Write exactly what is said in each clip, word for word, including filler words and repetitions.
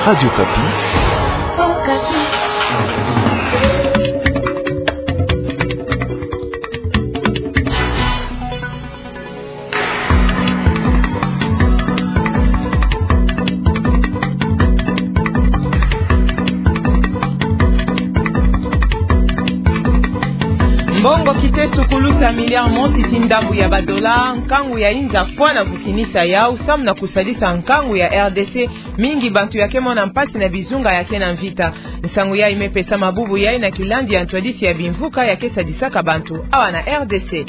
Radio Okapi. Mbongo kiteso kuluta miliare mosi ti ndambu ya badola, nkangu ya inza fwana vukinisa yau, samu na kusadisa nkangu ya R D C, mingi bantu ya ke mona mpasi na bizunga ya ke na mvita. Nsangu yayi me pesama bubu yayi na kilandi ya ntwadisi ya bimvuka ya ke sadisaka bantu awa na R D C.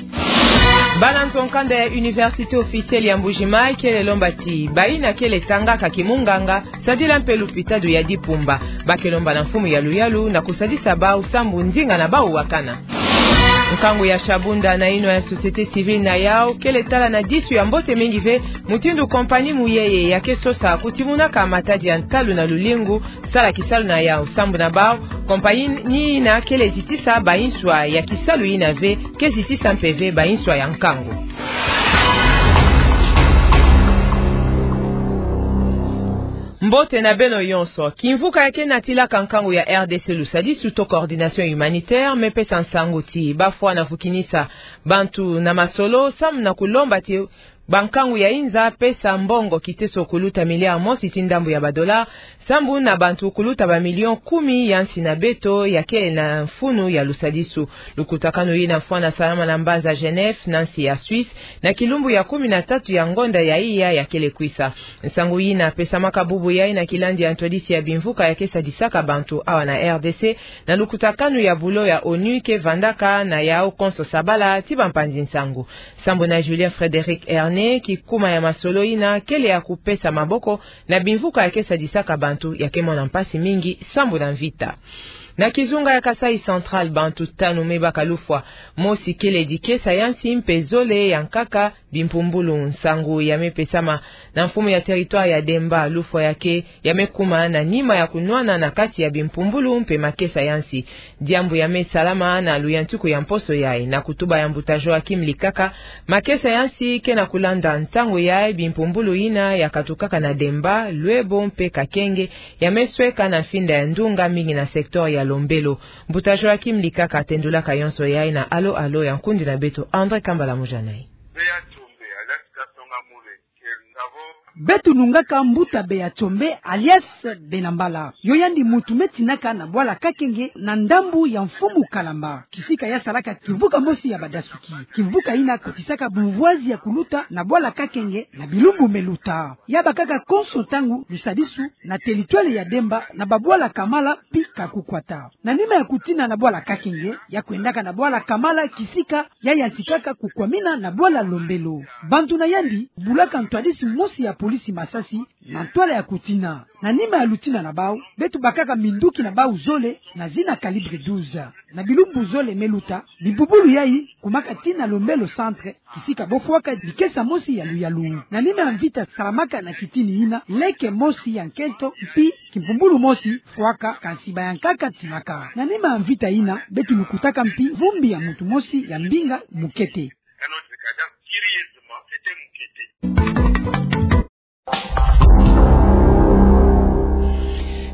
Bana nzo-nkanda ya Université Officielle ya Mbuji-Mayi kele lomba ti bayina kele tangaka kimunganga, sadila mpe lupitalu ya Dipumba. Ba ke lomba na mfumu ya luyalu na kusadisa bau sambu ndinga na bau wakana. Nkangu ya Shabunda na yinwa ya société civile na yau kele tala na disu ya mbote mingi ve mutindu compagnie Muyeye ya ke sosa kutimunaka matadi ya ntalu na lulingu sala kisalu na yau. Sambu na bau, compagnie yina kele zitisa bayinswa ya kisalu yina ve, ke zitisa mpe ve bayinswa ya nkangu. Mbote na beno yonso. Kimvuka ya ke natilaka nkangu ya R D C lusadisu to coordination humanitaire me pesa nsangu ti ba fwana vukinisa bantu na masolo, samu na kulomba ti bankangu ya inza pesa mbongo kiteso kuluta miliare mosi ti ndambu ya badola, sambu na bantu kuluta bamilion kumi ya nsi na beto ya ke na mfunu ya lusadisu. Lukutakanu yina fwana salama na mbanza Genève, na nsi ya Suisse, na kilumbu ya kumi na tatu ya ngonda ya iya ya kele kwisa. Nsangu yina pesamaka bubu yayi na kilandi ya ntwadisi ya bimvuka ya ke sadisaka bantu awa na R D C, na lukutakanu ya bulo ya ONU ke vandaka na yau konso sabala ti bampanzi nsangu. Sambu na Julien Frédéric Ernet, kikuma ya masolo yina kele ya kupesa maboko na bimvuka ya ke sadisaka bantu ya ke mona mpasi mingi sambu na mvita. Na kizunga ya Kasaï Central, bantu tanu me baka lufwa. Mosi kele dikesa ya nsi mpe zole ya nkaka bimpumbulu. Nsangu ya me pesama na mfumu ya territoire ya Demba. Lufwa ya ke ya me kuma na nima ya kunwana na kati ya bimpumbulu mpe makesa ya nsi. Diambu ya me salama na luyantiku ya mposo yayi. Na kutuba ya mbuta Joachim Likaka, makesa ya nsi ke na kulanda ntangu yayi bimpumbulu yina ya katukaka na Demba, Luebo mpe Kakenge ya me sweka na mfinda ya ndunga mingi na secteur ya Lombelo. Mbuta Joachim Likaka atendulaka yonso yayi na Allô Allô ya nkundi na beto André Kambala Mujanayi. Bea Tshombe, alias Kasonga Mule, ke ngabo. Beto nungaka mbuta Bea Tshombe, alias Bena Mbala. Yo yandi muntu me tinaka na bwala Kakenge na ndambu ya mfumu Kalamba. Kisika ya salaka kimvuka mosi ya badasuki. Kimvuka yina kotisaka bumvwazi ya kuluta na bwala Kakenge na bilumbu me luta. Ya bakaka konso ntangu lusadisu na territoire ya Demba na babwala Kamala mpi Kakukwata. Na nima ya kutina na bwala Kakenge, ya kwendaka na bwala Kamala kisika ya yantikaka kukwamina na bwala Lombelo. Bantu na yandi bulaka ntwadisi mosi ya polisi masasi na ntwala ya kutina. Na nima ya lutina na bau, beto bakaka minduki na bau zole na zina calibre douze. Na bilumbu zole me luta, bimpumbulu yayi kumaka tii na Lombelo centre, kisika bo fwaka dikesa mosi ya luyalu. Na nima ya mvita salamaka na kitini yina, leke mosi ya nkento mpi kimpumbulu mosi fwaka, kansi ba ya nkaka timaka. Na nima ya mvita yina, beto lukutaka mpi vumbi ya muntu mosi ya mbinga mukete.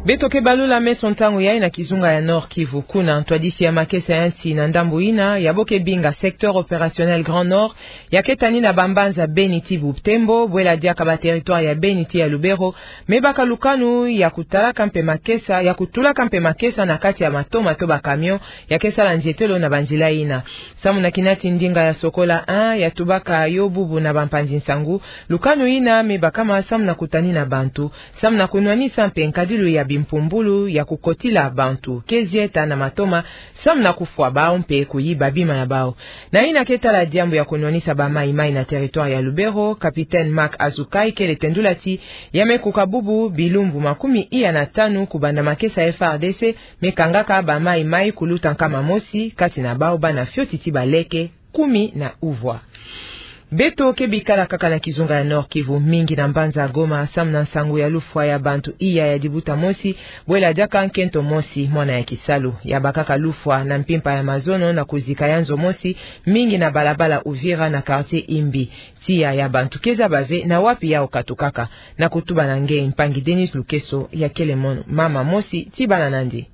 Beto ke balula meso ntangu yayi na kizunga ya Nord-Kivu. Kuna ntwadisi ya makesa ya nsi na ndambu yina ya bo ke binga secteur opérationnel Grand Nord, ya ke tanina bambanza Beni tii Butembo, bwela diaka ba territoire ya Beni tii ya Lubero, me baka lukanu ya kutalaka mpe makesa, ya kutulaka mpe makesa na kati ya matoma to ba camion ya ke sala nzietelo na banzila yina. Samu na kinati ndinga ya Sokola un ya tubaka yo bubu na bampanzi nsangu, lukanu yina me bakama samu na kutanina bantu, samu na kunwanisa mpe nkadilu ya bimpumbulu ya kukotila bantu ke zieta na matoma, samu na kufwa bau mpe kuyiba bima ya bau. Na yina ke tala diambu ya kunwanisa ba maï-maï na territoire ya Lubero, capitaine Marc Azukai kele tendula ti ya me kuka bubu bilumbu makumi iya na tanu kubanda makesa F A R D C me kangaka ba maï-maï kuluta nkama mosi, kati na bau bana fioti tii baleke kumi na uvwa. Beto ke bikala kaka na kizunga ya Nord-Kivu, mingi na mbanza Goma samu na nsangu ya lufwa ya bantu iya ya dibuta mosi, bwela diaka nkento mosi, mwana ya kisalu. Ya bakaka lufwa na mpimpa ya mazono na kuzika ya nzo mosi, mingi na balabala Uvira na quartier Imbi. Tiya ya bantu ke zaba ve na wapi yau katukaka. Na kutuba na nge mpangi Denise Lukeso, ya kele mono mama mosi ti bana na yandi.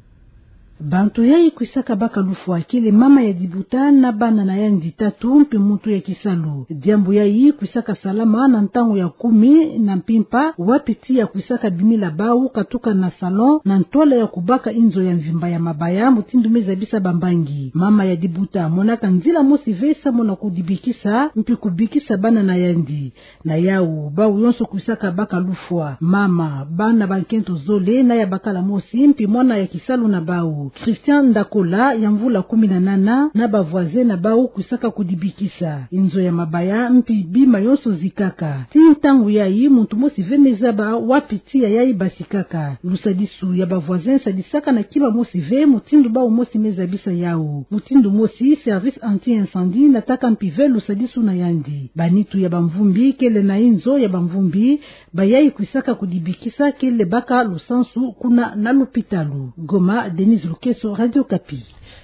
Bantu yayi kwisaka baka lufwa kele mama ya dibuta na bana na yandi tatu mpe muntu ya kisalu. Diambu yayi kwisaka salama na ntangu ya kumi na mpimpa, wapi tiya kwisaka bimila bau katuka na salon na ntwala ya kubaka inzo ya mvimba ya mabaya, mutindu me zabisa bambangi. Mama ya dibuta monaka nzila mosi ve samu na kudibikisa mpe kubikisa bana na yandi. Na yau, bau yonso kwisaka baka lufwa, mama, bana ba nkento zole na ya bakala mosi, mpe mwana ya kisalu na bau, Christian Ndakola, ya mvula kumi na nana, na ba voisin na bau kwisaka kudibikisa. Inzo ya mabaya mpe bima yonso zikaka. Ti ntangu yayi, muntu mosi ve me zaba wapi tiya yayi basikaka. Lusadisu ya ba voisin sadisaka na kima mosi ve, mutindu bau mosi me zabisa yau. Mutindu mosi, service anti-incendie nataka mpe ve lusadisu na yandi. Banitu ya bamvumbi kele na inzo ya bamvumbi, bayayi kwisaka kudibikisa kele baka lusansu kuna na lupitalu. Goma, Denise Lukeso, Radio Okapi.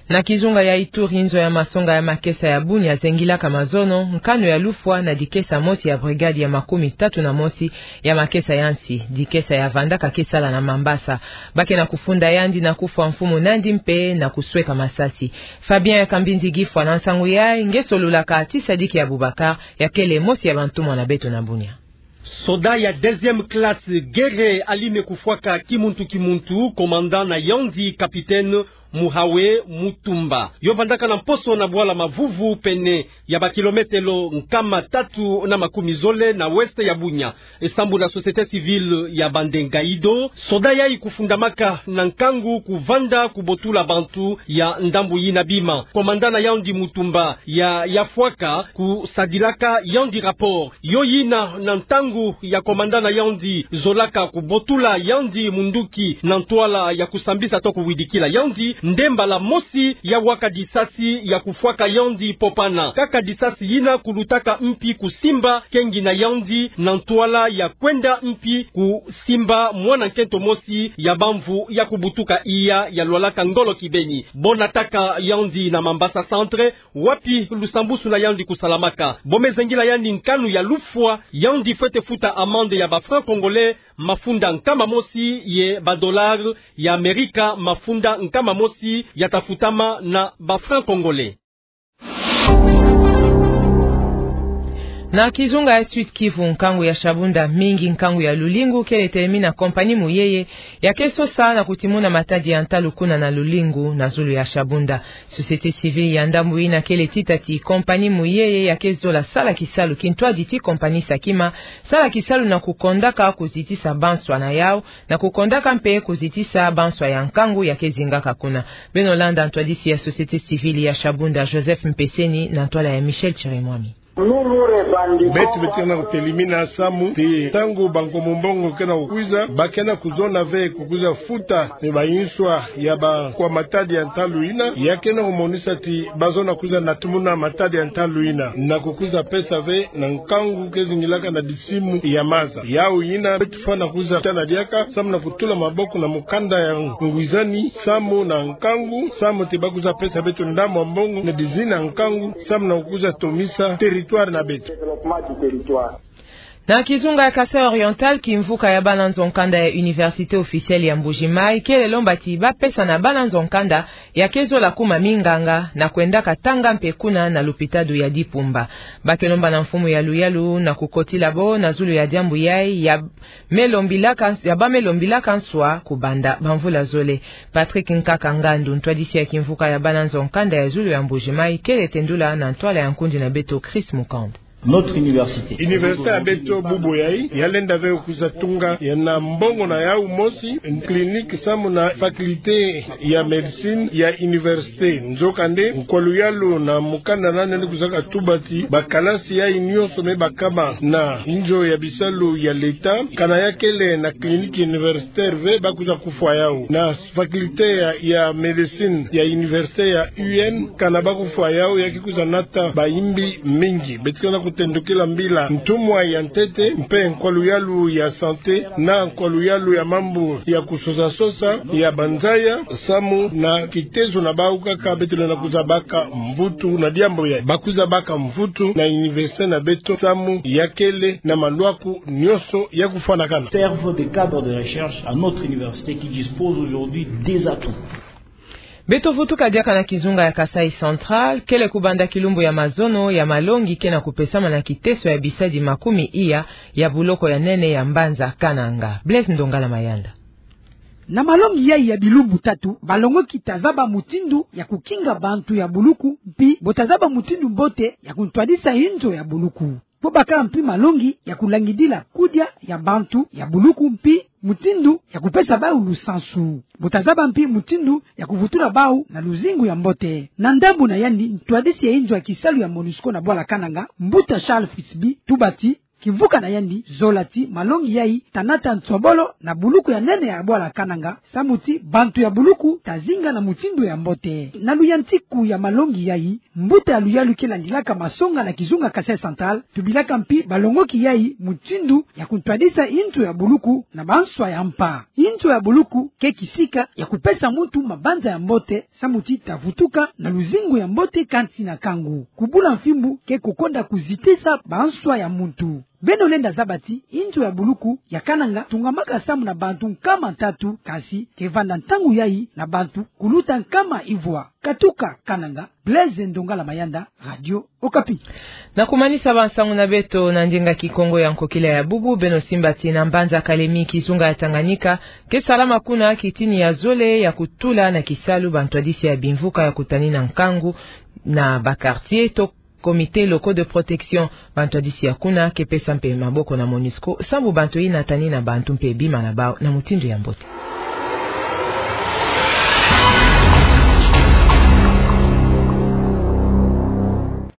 Na kizunga ya Ituri, inzo ya masonga ya makesa ya Bunia zengilaka mazono nkanu ya lufwa na dikesa mosi ya brigade ya makumi tatu na mosi ya makesa ya nsi, dikesa ya vandaka ke sala na Mambasa. Ba ke na kufunda yandi na kufwa mfumu na yandi mpe na kusweka masasi. Fabien Kambinzi Gifwa na nsangu yayi, nge solulaka ti Sadiki Abubakar, ya kele mosi ya bantumwa na beto na Bunia. Soda ya deuxième classe, Gere Aline Kufwaka, kimuntu kimuntu, commandant na yandi, capitaine Muhawe Mutumba. Yo vandaka na mposo na bwala Mavuvu, pene ya ba kilometelo nkama tatu na makumi zole na ouest ya Bunia. E sambu na société civile ya Bande Ngaïdo, soda yayi kufundamaka na nkangu, kuvanda, kubotula bantu ya ndambu yina bima. Commandant na yandi Mutumba ya, ya fwaka kusadilaka yandi rapport. Yo yina na ntangu ya commandant na yandi zolaka kubotula yandi munduki na ntwala ya kusambisa to kuwidikila yandi, nde mbala mosi ya waka disasi ya kufwaka yandi popana. Kaka disasi yina kulutaka mpi kusimba kengi na yandi na ntwala ya kwenda mpi kusimba mwana nkento mosi ya bamvu ya kubutuka iya ya lwalaka ngolo kibeni. Bo nataka yandi na Mambasa Centre, wapi lusambusu na yandi kusalamaka. Bo me zengila yandi nkanu ya lufwa, yandi fwete futa amende ya ba francs congolais mafunda nkama mosi ye ba dollars ya Amerika mafunda nkama mosi ya ta futama na ba francs congolais. Na kizunga ya Sud-Kivu, nkangu ya Shabunda, mingi nkangu ya lulingu, kele telemina compagnie Muyeye, ya ke sosa na kutimuna matadi ya ntalu kuna na lulingu na zulu ya Shabunda. Société civile ya ndambu yina kele tita ti compagnie Muyeye ya ke zola sala kisalu kintwadi ti compagnie Sakima, sala kisalu na kukondaka kuzitisa banswa na yau, na kukondaka mpe kuzitisa banswa ya nkangu ya ke zingaka kuna. Beno landa ntwadisi ya société civile ya Shabunda, Joseph Mpeseni, na ntwala ya Michel Chirimwami. Beto beto ke na kutelemina samu ti ntangu bankomo mbongo ke na kukwiza, ba ke na kuzona ve kukwiza futa ni banswa ya ba kwa matadi ya ntalu yina, ya ke na kumonisa ti ba zona kwiza natumuna matadi ya ntalu yina, na kukwiza pesa ve na nkangu ke zingilaka na disimu ya maza. Yau yina, beto fwana kwiza tana diaka, samu na kutula maboko na mukanda ya ngwizani, samu na nkangu, samu ti ba kwiza pesa beto ndambu ya mbongo, na dizina nkangu, samu na kukwiza tomisa territoire na beto. Na kizunga ya Kasaï Oriental, kimvuka ya bana nzo-nkanda ya Université officielle ya Mbuji-Mayi kele lomba ti ba pesa na bana nzo-nkanda ya ke zola kuma minganga na kwendaka tanga mpe kuna na lupitalu ya Dipumba. Ba ke lomba na mfumu ya luyalu na kukotila bo na zulu ya diambu yayi ya me lombilaka, ya ba me lombilaka nswa kubanda bamvula zole. Patrick Nkaka Ngandu, ntwadisi ya kimvuka ya bana nzo-nkanda ya zulu ya Mbuji-Mayi, kele tendula na ntwala ya nkundi na beto Chris Mukand. Notre université. Université ya beto bubu yayi, ya lenda ve kwiza tunga, ya na mbongo na yau mosi, clinique samu na faculté ya médecine ya université. Nzokande, nkwa luyalu na mukanda nani ni kwizaka tuba ti bakalasi yayi nyonso me bakama na inzo ya bisalu ya l'État, kana ya kele na clinique universitaire ve, ba kwiza kufwa yau. Na faculté ya, ya médecine ya université ya U N, kana ba kufwa yau, ya ke kwiza nata bayimbi mingi. Beto ke na Tendukila mbila ntumwa ya ntete mpe nkwa luyalu ya santé na nkwa luyalu ya mambu ya kusosa-sosa ya banzaya, samu na kitezo na bau kaka beto lenda kwiza baka mvutu na diambu yayi. Bakwiza baka mvutu na université na beto samu ya kele na malwaku nyonso ya kufwanakana. Servent de cadre de recherche à notre université qui dispose aujourd'hui des atouts. Beto vutuka diaka na kizunga ya Kasaï Central, kele kubanda kilumbu ya mazono ya malongi ke na kupesama na kiteso ya bisadi makumi iya ya buloko ya nene ya mbanza Kananga. Blaise Ndongala Mayanda. Na malongi yayi ya bilumbu tatu, balongoki ta zaba mutindu ya kukinga bantu ya buluku, mpi bo ta zaba mutindu mbote ya kuntwadisa inzo ya buluku. Bo baka mpi malongi ya kulangidila kudia ya bantu ya buluku mpi mutindu ya kupesa bau lusansu. Bo ta zaba mpi mutindu ya kuvutula bau na luzingu ya mbote. Na ndambu na yandi, ntwadisi ya inzo ya kisalu ya MONUSCO na bwala Kananga, mbuta Charles Fitzbee, tuba ti kimvuka na yandi zola ti malongi yayi ta nata nsobolo na buluku ya nene ya bwala Kananga, samu ti bantu ya buluku ta zinga na mutindu ya mbote. Na luyantiku ya malongi yayi, mbuta ya luyalu ke landilaka masonga na kizunga Kasaï Central tubilaka mpi balongoki yayi mutindu ya kuntwadisa inzo ya buluku na banswa ya mpa. Inzo ya buluku ke kisika ya kupesa muntu mabanza ya mbote, samu ti ta vutuka na luzingu ya mbote kansi na kangu. Kubula mfimbu ke kukonda kuzitisa banswa ya muntu. Beno lenda zaba ti inzo ya buluku ya Kananga tungamaka samu na bantu nkama ntatu, kasi ke vanda ntangu yayi na bantu kuluta nkama ivwa. Katuka Kananga, Blaise Ndongala Mayanda, Radio Okapi. Na kumanisa bansangu na beto na ndinga Kikongo ya nkokila ya bubu, beno simba ti na mbanza Kalemi kizunga ya Tanganyika, ke salama kuna kitini ya zole ya kutula na kisalu bantwadisi ya bimvuka ya kutanina nkangu na ba quartier to comités locaux de protection. Bantwadisi ya kuna ke pesa mpe maboko na MONUSCO, sambu bantu yina tanina bantu mpe bima na bau na mutindu ya mbote.